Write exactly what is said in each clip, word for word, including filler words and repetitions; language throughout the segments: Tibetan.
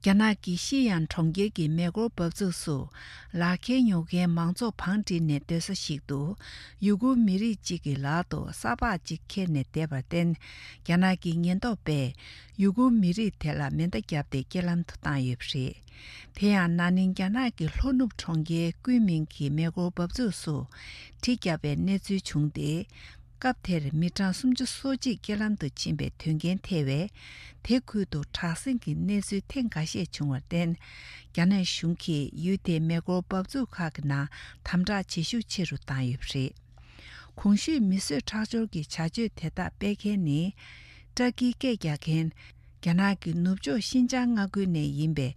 རྒྱ་ནག་གི་ཤི་ཡང་གྲོང་ཁྱེར་གྱི་མེ་འཁོར་འབབ་ཚུགས་སུ། ལག་ཁྱེར་ཉོ་མཁན་མང་ཚོགས་བང་བསྒྲིགས་ནས་སྡོད་ས་ཞིག་ཏུ། ཡུ་གུར་མི་རིགས་གཅིག་གི་ལག་ཏུ་ས་ཕག་ཅིག་ཁྱེར་ནས་བསྡད་པར་བརྟེན། རྒྱ་ནག་གི་ཉེན་རྟོག་པས་ཡུ་གུར་མི་རིགས་དེ་ལ་མེ་མདའ་བརྒྱབ་སྟེ་རྐྱེན་ལམ་དུ་བཏང་ཡོད་པ་རེད། དེ་ཡང་ན་ནིང་རྒྱ་ནག་གི་ལྷོ་ནུབ་གྲོང་ཁྱེར་ཀུན་མིང་གི་མེ་འཁོར་འབབ་ཚུགས་སུ་གྲི་བརྒྱབ་པའི་གནས་ཚུལ་བྱུང་སྟེ། སྐབས་དེར་མི་གྲངས་སུམ་ཅུ་སོ་གཅིག་རྐྱེན་ལམ་དུ་ཕྱིན་པའི་དོན་རྐྱེན་ཐེ་བས། དེ་ཁུལ་དུ་དྲག་ཟིང་གི་གནས་ཚུལ་ཐེངས་འགའ་ཤས་བྱུང་བར་བརྟེན། རྒྱ་ནག་གཞུང་གིས་ཡུལ་དེའི་མེ་འཁོར་འབབ་ཚུགས་ཁག་གི་ནང་དམ་དྲག་བྱེད་ཤུགས་ཆེ་རུ་བཏང་ཡོད་པ་རེད། གོང་ཞུས་མི་གསོད་ཁྲག་སྦྱོར་གྱི་བྱ་སྤྱོད་དེ་དག་སྤེལ་མཁན་ནི། ཏྲ་ཀིའི་སྐད་རྒྱག་མཁན། རྒྱ་ནག་གི་ནུབ་ཕྱོགས་ཤིན་ཅང་མངའ་ཁུལ་ནས་ཡིན་པའི་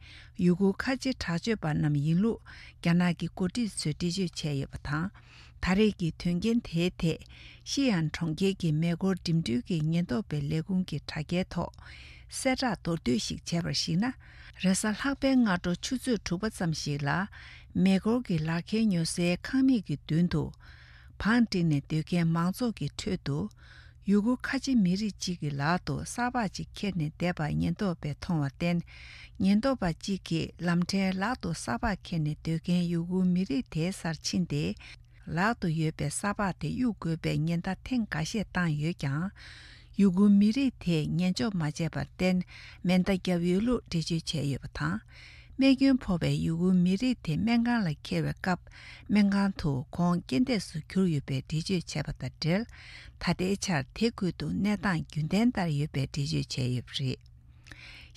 ཡུ་གུར་ཁ་ཆེ་དྲག་སྤྱོད་པ་རྣམས་ཡིན་ལུགས། རྒྱ་ནག་གི་འགོ་ཁྲིད་ཚོས་འགྲེལ་བརྗོད་བྱས་ཡོད་པ་དང་། ད་རེས་ཀྱི་དོན་རྐྱེན་དེའི་ཐད། ཤི་ཡན་གྲོང་ཁྱེར་གྱི་མེ་འཁོར་འགྲིམ་འགྲུལ་གྱི་ཉེན་རྟོག་པའི་ལས་ཁུངས་ཀྱི་དྲ་རྒྱའི་ཐོག་གསལ་བསྒྲགས་མདོར་བསྡུས་ཤིག་བྱས་པར་གཞིགས་ན། རེས་གཟའ་ལྷག་པའི་སྔ་དྲོ་ཆུ་ཚོད་དྲུག་པ་ཙམ་ཞིག་ལ། མེ་འཁོར་གྱི་ལག་ཁྱེར་ཉོ་སའི་ཁང་མིག་གི་མདུན་དུ། བང་བསྒྲིགས་ནས་སྡོད་མཁན་མང་ཚོགས་ཀྱི་ཁྲོད་དུ། ཡུ་གུར་ཁ་ཆེ་མི་རིགས་གཅིག་གི་ལག་ཏུ་ས་ཕག་ཅིག་ཁྱེར་ནས་བསྡད་པ་ཉེན་རྟོག་པས་མཐོང་བར་བརྟེན། ཉེན་རྟོག་པ་གཅིག་གིས་ལམ་ཕྲན་ལག་ཏུ་ས་ཕག་ཁྱེར་ནས་སྡོད་མཁན་ཡུ་གུར་མི་རིགས་དེའི་སར་ཕྱིན་ཏེ། ལག་ཏུ་ཡོད་པའི་ས་ཕག་དེ་གཡུག་དགོས་པའི་ཉེན་བརྡ་ཐེངས་འགའ་ཤས་བཏང་ཡོད་ཀྱང་། ཡུ་གུར་མི་རིགས་དེས་ཉན་འཇོག་མ་བྱས་པར་བརྟེན། མེ་མདའ་བརྒྱབ་ཡོད་ལུགས་འགྲེལ་བརྗོད་བྱས་ཡོད་པ་དང་། རྨས་སྐྱོན་ཕོག་པའི་ཡུ་གུར་མི་རིགས་དེ་སྨན་ཁང་ལ་འཁྱེར་བའི་སྐབས། སྨན་ཁང་དུ་ཁོང་རྐྱེན་འདས་སུ་གྱུར་ཡོད་པའི་འགྲེལ་བརྗོད་བྱས་པ་དང་འབྲེལ། ད་ལྟའི་ཆར་དེ་ཁུལ་དུ་གནས་སྟངས་རྒྱུན་ལྡན་ལྟར་ཡོད་པའི་འགྲེལ་བརྗོད་བྱས་ཡོད་པ་རེད།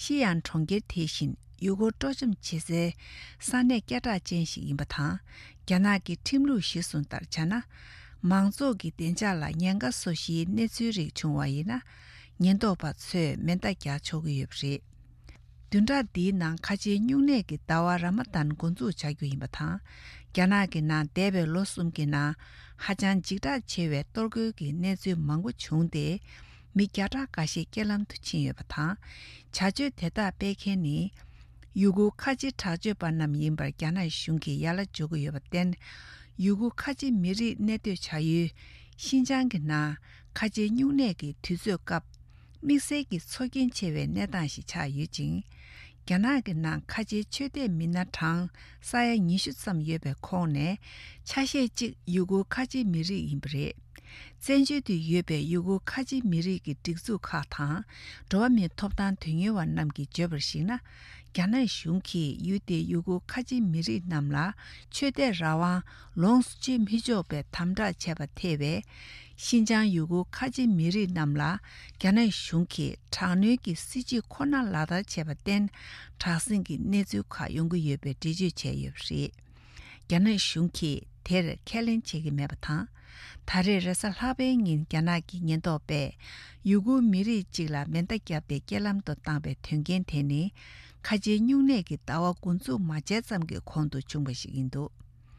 ཤི་ཡང་གྲོང་ཁྱེར་དེ་བཞིན་ཡུ་གུར་སྤྲོ་འཆམ་བྱེད་སའི་ས་གནས་སྐད་གྲགས་ཅན་ཞིག་ཡིན་པ་དང་། རྒྱ་ནག་གི་ཁྲིམས་ལུགས་གཞིར་བཟུང་ལྟར་བྱས་ན། མང་ཚོགས་ཀྱི་བདེ་འཇགས་ལ་ཉེན་ཁ་བཟོ་གཞིའི་གནས་ཚུལ་རིགས་བྱུང་བ་ཡིན་ན། ཉེན་རྟོག་པ་ཚོས་མེ་མདའ་རྒྱག་ཆོག་གི་ཡོད་པ་རེད། བདུན་ཕྲག་འདིའི་ནང་ཁ་ཆེའི་སྨྱུང་གནས་ཀྱི་ཟླ་བ་ར་མ་དན་འགོ་འཛུགས་བྱ་རྒྱུ་ཡིན་པ་དང་། རྒྱ་ནག་གི་ནང་འདས་པའི་ལོ་གསུམ་གྱི་ནང་ཧ་ཅང་འཇིགས་སྐྲག་ཆེ་བའི་གཏོར་རྒོལ་གྱི་གནས་ཚུལ་མང་པོ་བྱུང་སྟེ། མི་བརྒྱ་ཕྲག་འགའ་ཤས་རྐྱེན་ལམ་དུ་ཕྱིན་ཡོད་པ་དང་། བྱ་སྤྱོད་དེ་དག་སྤེལ་མཁན་ནི། ཡུ་གུར་ཁ་ཆེ་དྲག་སྤྱོད་པ་རྣམས་ཡིན་པར་རྒྱ་ནག་གཞུང་གིས་ཡ་ལ་འཇོག་གི་ཡོད་པར་བརྟེན། ཡུ་གུར་ཁ་ཆེ་མི་རིགས་གནས་སྡོད་བྱ་ཡུལ་ཤིན་ཅང་གི་ནང་ཁ་ཆེའི་སྨྱུང་གནས་ཀྱི་དུས་ཚོད་སྐབས། དམིགས་བསལ་གྱི་ཚོར་སྐྱེན་ཆེ་བའི་གནས་སྟངས་ཤིག་ཆགས་ཡོད་ཅིང་། རྒྱ་ནག་གི་ནང་ཁ་ཆེའི་ཆོས་དད་མི་སྣ་གྲངས་ས་ཡ་ཉི་ཤུ་ཙམ་ཡོད་པའི་ཁོངས་ནས་ཆ་ཤས་གཅིག་ཡུ་གུར་ཁ་ཆེ་མི་རིགས་ཡིན་པ་རེད། བཙན་བྱོལ་དུ་ཡོད་པའི་ཡུ་གུར་ཁ་ཆེ་མི་རིགས་ཀྱི་སྒྲིག་འཛུགས་ཁག་དང་། འགྲོ་བ་མིའི་ཐོབ་ཐང་དོན་གཉེར་བ་རྣམས་ཀྱིས་བརྗོད་པར་གཞིགས་ན། རྒྱ་ནག་གཞུང་གིས་ཡུལ་དེའི་ཡུ་གུར་ཁ་ཆེ་མི་རིགས་རྣམས་ལ་ཆོས་དད་རང་དབང་ལོངས་སུ་སྤྱོད་མི་ཆོག་པའི་དམ་དྲག་བྱས་པ་ཐེ་བས། ཤིན་ཅང་ཡུ་གུར་ཁ་ཆེ་མི་རིགས་རྣམས་ལ་རྒྱ་ནག་གཞུང་གིས་དྲག་གནོན་གྱི་སྲིད་བྱུས་ཁོ་ན་ལག་བསྟར་བྱས་པར་བརྟེན། དྲག་ཟིང་གི་གནས་ཚུལ་ཁག་ཡོང་གི་ཡོད་པའི་འགྲེལ་བརྗོད་བྱས་ཡོད་པ་རེད། རྒྱ་ནག་གཞུང་གིས་དེར་ཁས་ལེན་བྱེད་ཀྱི་མེད་པ་དང་། ད་རེས་རེས་གཟའ་ལྷག་པའི་ཉིན་རྒྱ་ནག་གི་ཉེན་རྟོག་པས་ཡུ་གུར་མི་རིགས་གཅིག་ལ་མེ་མདའ་བརྒྱབ་སྟེ་རྐྱེན་ལམ་དུ་བཏང་པའི་དོན་རྐྱེན་དེ་ནི། ཁ་ཆེའི་སྨྱུང་གནས་ཀྱི་ཟླ་བ་འགོ་འཛུགས་མ་བྱས་ཙམ་གྱི་གོང་དུ་བྱུང་བ་ཞིག་ཡིན་འདུག